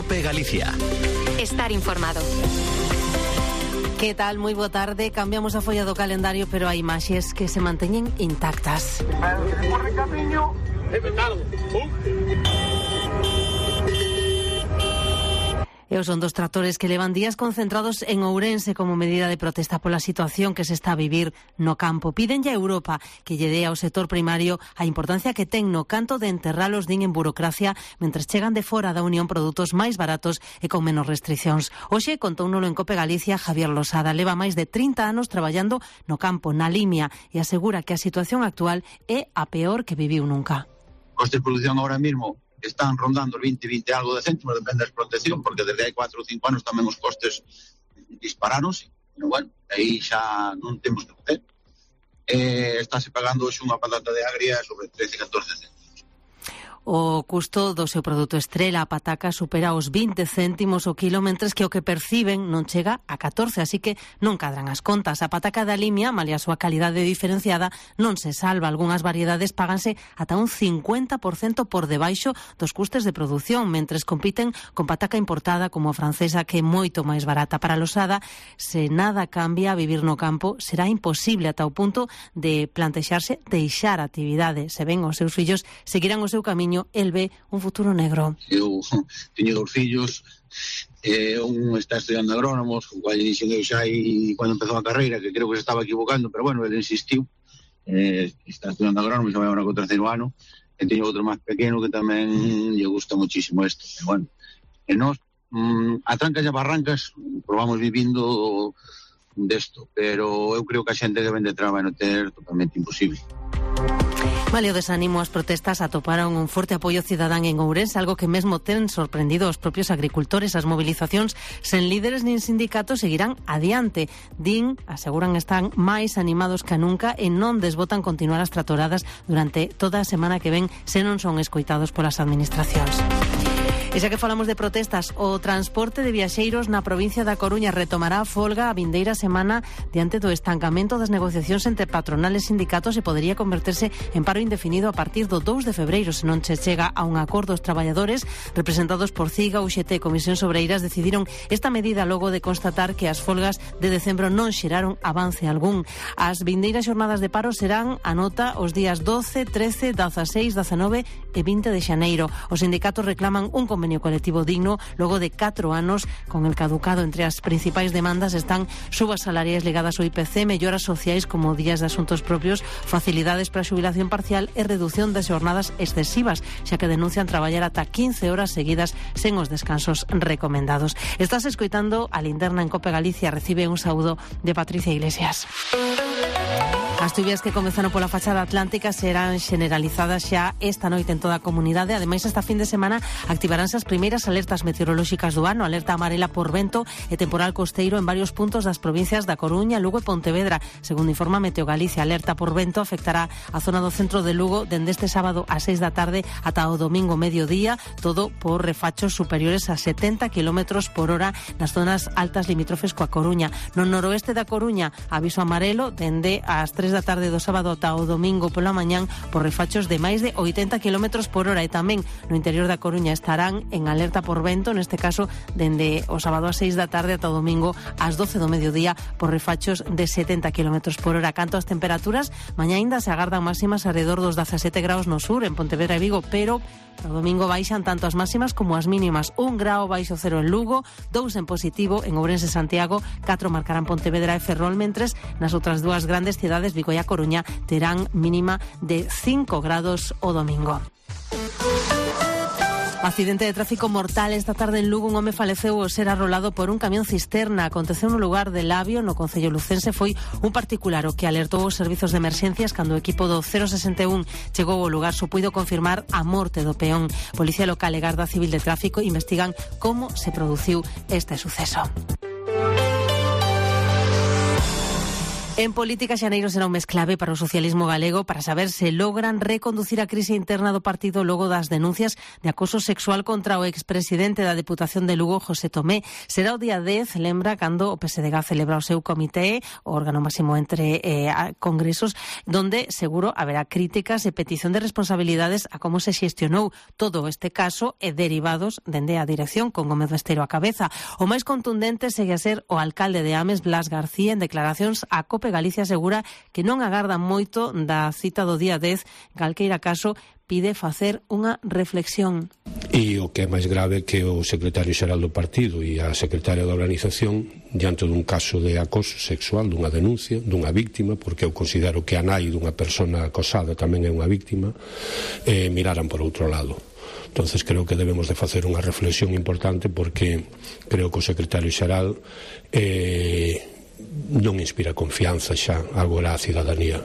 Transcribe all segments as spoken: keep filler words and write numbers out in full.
COPE Galicia. Estar informado. Que tal? Moi boa tarde. Cambiamos a folla do calendario, pero hai imaxes que se manteñen intactas. E son dos tractores que levan días concentrados en Ourense como medida de protesta pola situación que se está a vivir no campo. Pídenlle a Europa que lle dé ao sector primario a importancia que ten no canto de enterralos din en burocracia mentres chegan de fora da Unión produtos máis baratos e con menos restriccións. Hoxe contounolo en COPE Galicia Javier Losada. Leva máis de trinta anos traballando no campo, na Limia, e asegura que a situación actual é a peor que viviu nunca. Costes de producción ahora mismo están rondando veinte, veinte algo de céntimos, depende da explotación, porque desde hai cuatro ou cinco anos tamén os costes dispararonse, pero bueno, aí xa non temos que facer. Eh, estáse pagando hoxe unha patata de agria sobre trece, catorce céntimos. O custo do seu produto estrela, a pataca, supera os vinte céntimos o quilo, mentres que o que perciben non chega a catorce, así que non cadran as contas. A pataca da Limia, malia a súa calidade diferenciada, non se salva. Algúnas variedades páganse ata un cincuenta por cento por debaixo dos custes de produción, mentres compiten con pataca importada como a francesa, que é moito máis barata. Para Losada, se nada cambia, a vivir no campo será imposible ata o punto de plantexarse deixar a actividade. Se ven os seus fillos seguirán o seu camiño, el ve un futuro negro. Eu teño dous fillos, eh, un está estudiando agrónomos, o cual lle dixen eu xa aí cando empezou a carreira, que creo que se estaba equivocando, pero bueno, ele insistiu, eh, está estudiando agrónomos, xa vai agora co terceiro ano, e teño outro máis pequeno que tamén lle gusta muchísimo isto, pero bueno, e nós, mm, a trancas e a barrancas, probamos vivindo desto, pero eu creo que a xente que vende traba non ter totalmente imposible. Vale, o desánimo, as protestas atoparon un forte apoio cidadán en Ourense, algo que mesmo ten sorprendido aos propios agricultores. As movilizacións sen líderes nin sindicatos seguirán adiante. Din, aseguran, están máis animados que nunca e non desbotan continuar as tratoradas durante toda a semana que ven se non son escoitados polas administracións. E xa que falamos de protestas, o transporte de viaxeiros na provincia da Coruña retomará a folga a vindeira semana diante do estancamento das negociacións entre patronales e sindicatos e podería converterse en paro indefinido a partir do dous de febreiro se non se chega a un acordo. Os traballadores representados por CIGA, U X T e Comisións Obreiras decidiron esta medida logo de constatar que as folgas de decembro non xeraron avance algún. As vindeiras xornadas de paro serán, a nota, os días doce, trece, dezaseis, dezanove e vinte de xaneiro. Os sindicatos reclaman un convenio colectivo digno logo de catro anos con el caducado. Entre as principais demandas están subas salariais ligadas ao I P C, melloras sociais como días de asuntos propios, facilidades para a xubilación parcial e reducción das xornadas excesivas, xa que denuncian traballar ata quince horas seguidas sen os descansos recomendados. Estás escoitando a Linterna en COPE Galicia. Recibe un saúdo de Patricia Iglesias. As chuvias que comezaron pola fachada atlántica serán generalizadas xa esta noite en toda a comunidade. Ademais, esta fin de semana activaránse as primeiras alertas meteorolóxicas do ano, alerta amarela por vento e temporal costeiro en varios puntos das provincias da Coruña, Lugo e Pontevedra. Segundo informa Meteo Galicia, alerta por vento afectará a zona do centro de Lugo dende este sábado a seis da tarde ata o domingo mediodía, todo por refachos superiores a setenta kilómetros por hora nas zonas altas limítrofes coa Coruña. No noroeste da Coruña, aviso amarelo dende as tres da tarde do sábado ata o domingo pola mañán por refachos de máis de oitenta kilómetros por hora, e tamén no interior da Coruña estarán en alerta por vento, neste caso dende o sábado a seis da tarde ata o domingo ás doce do mediodía por refachos de setenta kilómetros por hora. Canto ás temperaturas, mañá aínda se agardan máximas alrededor dos dezasete graus no sur, en Pontevedra e Vigo, pero o domingo baixan tanto as máximas como as mínimas. Un grao baixo cero en Lugo, dous en positivo en Ourense e Santiago, catro marcarán Pontevedra e Ferrol, mentres nas outras dúas grandes cidades, Vigo e a Coruña, terán mínima de cinco grados o domingo. Accidente de tráfico mortal esta tarde en Lugo. Un home faleceu ao ser arrolado por un camión cisterna. Aconteceu no lugar de Labio, no concello lucense. Foi un particular o que alertou os servizos de emerxencias cando o equipo do cero sesenta e un chegou ao lugar. Só puido confirmar a morte do peón. Policía local e Garda Civil de Tráfico investigan como se produciu este suceso. En política, xaneiro será un mes clave para o socialismo galego para saber se logran reconducir a crise interna do partido logo das denuncias de acoso sexual contra o expresidente da Deputación de Lugo, José Tomé. Será o día dez, lembra, cando o P S D G celebra o seu comité, o órgano máximo entre eh, congresos, donde seguro haberá críticas e petición de responsabilidades a como se xestionou todo este caso e derivados dende a dirección con Gómez Besteiro a cabeza. O máis contundente segue a ser o alcalde de Ames, Blas García, en declaracións a COPE Galicia asegura que non agarda moito da cita do día dez, calqueira caso pide facer unha reflexión. E o que é máis grave é que o secretario xeral do partido e a secretaria da organización, diante dun caso de acoso sexual, dunha denuncia, dunha víctima, porque eu considero que a nai dunha persona acosada tamén é unha víctima, eh, miraran por outro lado. Entonces creo que debemos de facer unha reflexión importante, porque creo que o secretario xeral eh, non inspira confianza xa agora á cidadanía.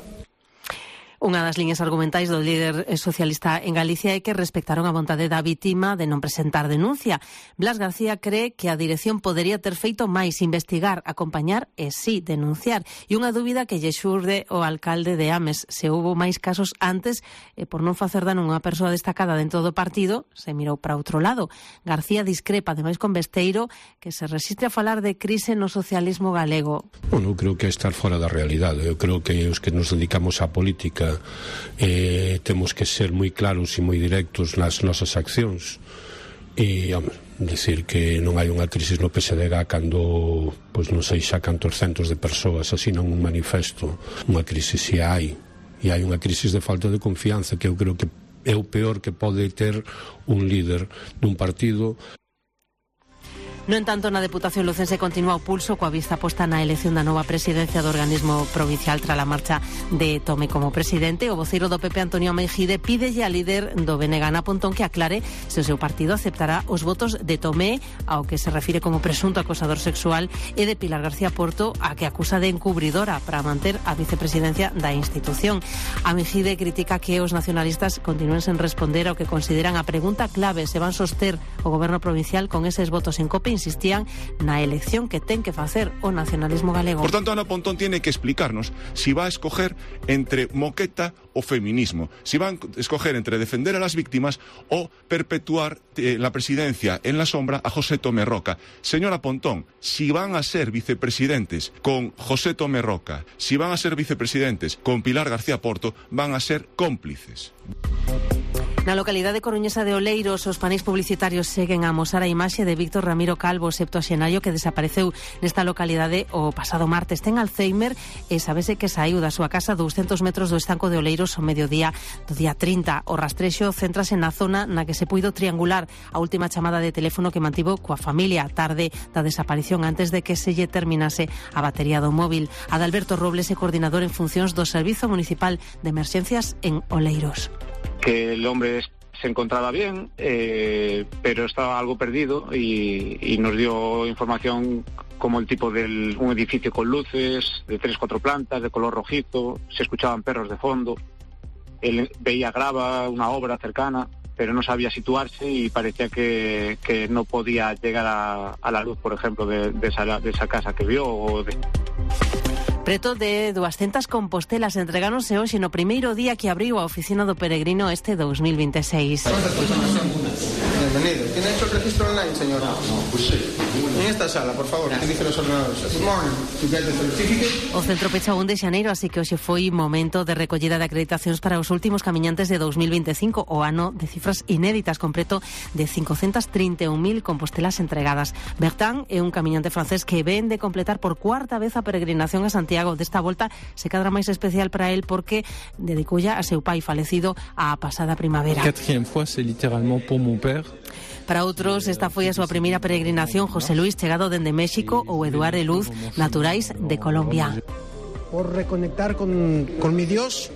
Unha das liñas argumentais do líder socialista en Galicia é que respectaron a vontade da vítima de non presentar denuncia. Blas García cree que a dirección podería ter feito máis, investigar, acompañar e sí denunciar. E unha dúbida que lle xurde o alcalde de Ames: se houbo máis casos antes e por non facer dano a unha persoa destacada dentro do partido, se mirou para outro lado. García discrepa ademais con Besteiro, que se resiste a falar de crise no socialismo galego. Bueno, creo que é estar fora da realidade. Eu creo que os que nos dedicamos á política Eh, temos que ser moi claros e moi directos nas nosas accións e hombre, decir que non hai unha crisis no P S D G cando, pois non sei xa cantos centos de persoas asinan un manifesto. Unha crisis si hai, e hai unha crisis de falta de confianza, que eu creo que é o peor que pode ter un líder dun partido. No entanto, na Deputación lucense continúa o pulso coa vista posta na elección da nova presidencia do organismo provincial tras a marcha de Tomé como presidente. O voceiro do P P, Antonio Meijide, pídelle a líder do B N G, Ana Pontón, que aclare se o seu partido aceptará os votos de Tomé, ao que se refire como presunto acosador sexual, e de Pilar García Porto, a que acusa de encubridora para manter a vicepresidencia da institución. A Meijide critica que os nacionalistas continúen sen responder ao que consideran a pregunta clave: se van soster o goberno provincial con eses votos en COPE. Insistían na elección que ten que facer o nacionalismo galego. Por tanto, Ana Pontón tiene que explicarnos si va a escoger entre moqueta o feminismo, si van a escoger entre defender a las víctimas o perpetuar eh, la presidencia en la sombra a José Tomé Roca. Señora Pontón, si van a ser vicepresidentes con José Tomé Roca, si van a ser vicepresidentes con Pilar García Porto, van a ser cómplices. Na localidade coruñesa de Oleiros, os paneis publicitarios seguen a amosar a imaxe de Víctor Ramiro Calvo, septuaxenario, que desapareceu nesta localidade o pasado martes. Ten Alzheimer e sabese que saiu da súa casa douscentos metros do estanco de Oleiros ao mediodía do día trinta. O rastrexo céntrase na zona na que se puido triangular a última chamada de teléfono que mantivo coa familia a tarde da desaparición, antes de que se lle terminase a batería do móvil. Adalberto Robles é coordinador en funcións do Servizo Municipal de Emerxencias en Oleiros. Que el hombre se encontraba bien, eh, pero estaba algo perdido y, y nos dio información como el tipo de un edificio con luces, de tres, cuatro plantas, de color rojizo, se escuchaban perros de fondo, él veía grava, una obra cercana, pero no sabía situarse y parecía que, que no podía llegar a, a la luz, por ejemplo, de, de, esa, de esa casa que vio. O de... Preto de doscientas compostelas entregáronse hoxe no primeiro día que abriu a oficina do peregrino este dos mil veintiséis. Bienvenido. ¿Tiene hecho el registro online, señor? No, no, pues sí. En esta sala, por favor, que dicen los ordenadores. Good morning. To get the certificate. O centro pecha un de xaneiro, así que hoxe foi momento de recollida de acreditacións para os últimos camiñantes de dos mil veinticinco, o ano de cifras inéditas, con preto de cincocentas trinta e un mil compostelas entregadas. Bertrand é un camiñante francés que ven de completar por cuarta vez a peregrinación a Santiago. Desta volta se cadra máis especial para él porque dedicoulla a seu pai falecido a pasada primavera. Quatrième fois, c'est littéralement pour mon père. Para outros, esta foi a súa primeira peregrinación. José Luis, chegado dende México, ou Eduardo Luz, naturais de Colombia. Por reconectar con, con mi Dios,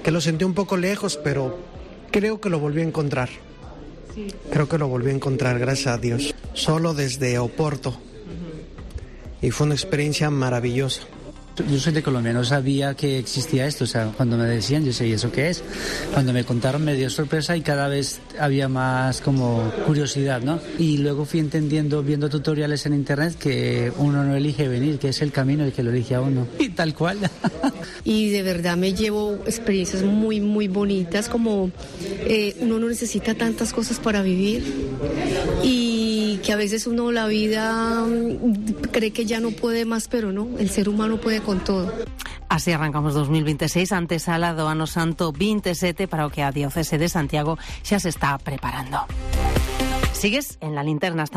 que lo sentí un poco lejos, pero creo que lo volví a encontrar. Creo que lo volví a encontrar, gracias a Dios. Solo desde Oporto. Y fue una experiencia maravillosa. Yo soy de Colombia, no sabía que existía esto, o sea, cuando me decían, yo sé, ¿y eso qué es? Cuando me contaron me dio sorpresa y cada vez había más como curiosidad, ¿no? Y luego fui entendiendo, viendo tutoriales en internet, que uno no elige venir, que es el camino el que lo elige a uno, y tal cual. Y de verdad me llevo experiencias muy, muy bonitas, como eh, uno no necesita tantas cosas para vivir y que a veces uno la vida cree que ya no puede más, pero no, el ser humano puede con todo. Así arrancamos dos mil veintiséis, antesala do Ano Santo veintisiete, para o que a Diocese de Santiago xa se está preparando. Sigues en La Linterna.